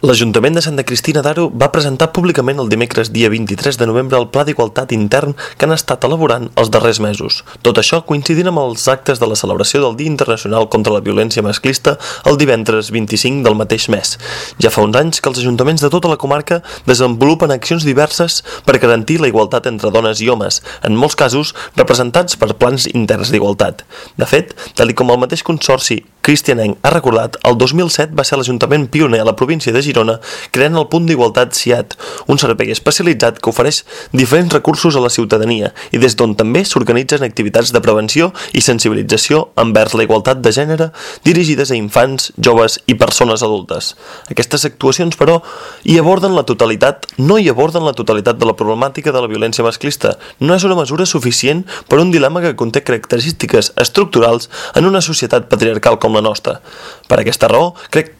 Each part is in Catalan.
L'Ajuntament de Santa Cristina d'Aro va presentar públicament el dimecres dia 23 de novembre el Pla d'Igualtat Intern que han estat elaborant els darrers mesos. Tot això coincidint amb els actes de la celebració del Dia Internacional contra la Violència Masclista el divendres 25 del mateix mes. Ja fa uns anys que els ajuntaments de tota la comarca desenvolupen accions diverses per garantir la igualtat entre dones i homes, en molts casos representats per plans interns d'igualtat. De fet, tal com el mateix consorci cristianenc ha recordat, el 2007 va ser l'Ajuntament pioner a la província de Girona creant el Punt d'Igualtat CIAT, un servei especialitzat que ofereix diferents recursos a la ciutadania i des d'on també s'organitzen activitats de prevenció i sensibilització envers la igualtat de gènere dirigides a infants, joves i persones adultes. Aquestes actuacions, però, no hi aborden la totalitat de la problemàtica de la violència masclista. No és una mesura suficient per un dilema que conté característiques estructurals en una societat patriarcal com la nostra. Per aquesta raó, crec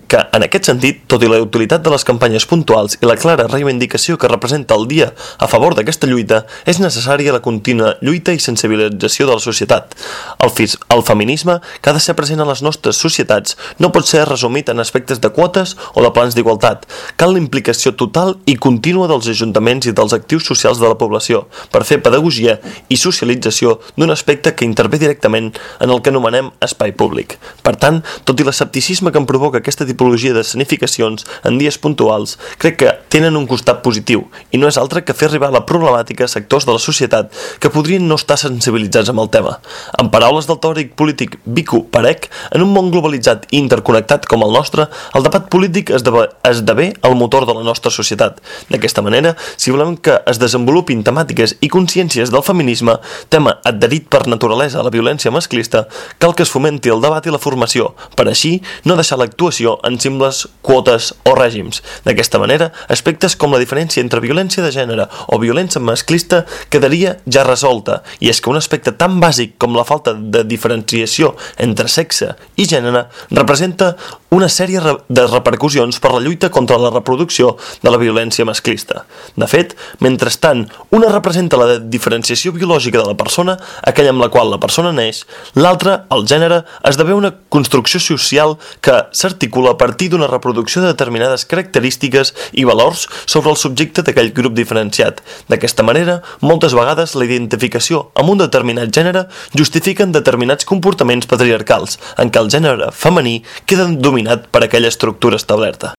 que, en aquest sentit, tot i la utilitat de les campanyes puntuals i la clara reivindicació que representa el dia a favor d'aquesta lluita, és necessària la contínua lluita i sensibilització de la societat. El feminisme, que ha de ser present a les nostres societats, no pot ser resumit en aspectes de quotes o de plans d'igualtat. Cal la implicació total i contínua dels ajuntaments i dels actius socials de la població per fer pedagogia i socialització d'un aspecte que intervé directament en el que anomenem espai públic. Per tant, tot i l'escepticisme que em provoca aquesta tipologia de escenificacions en dies puntuals, crec que tenen un costat positiu i no és altre que fer arribar la problemàtica a sectors de la societat que podrien no estar sensibilitzats amb el tema. En paraules del teòric polític Vico Parec, en un món globalitzat i interconnectat com el nostre, el debat polític esdevé el motor de la nostra societat. D'aquesta manera, si volem que es desenvolupin temàtiques i consciències del feminisme, tema adherit per naturalesa a la violència masclista, cal que es fomenti el debat i la formació, per així no deixar l'actuació en simples quotes o règims. D'aquesta manera, aspectes com la diferència entre violència de gènere o violència masclista quedaria ja resolta, i és que un aspecte tan bàsic com la falta de diferenciació entre sexe i gènere representa una sèrie de repercussions per la lluita contra la reproducció de la violència masclista. De fet, mentrestant una representa la diferenciació biològica de la persona, aquella amb la qual la persona neix, l'altra, el gènere, esdevé una construcció social que s'articula a partir d'una reproducció de determinades característiques i valors sobre el subjecte d'aquell grup diferenciat. D'aquesta manera, moltes vegades la identificació amb un determinat gènere justifiquen determinats comportaments patriarcals, en què el gènere femení queda dominat per aquella estructura establerta.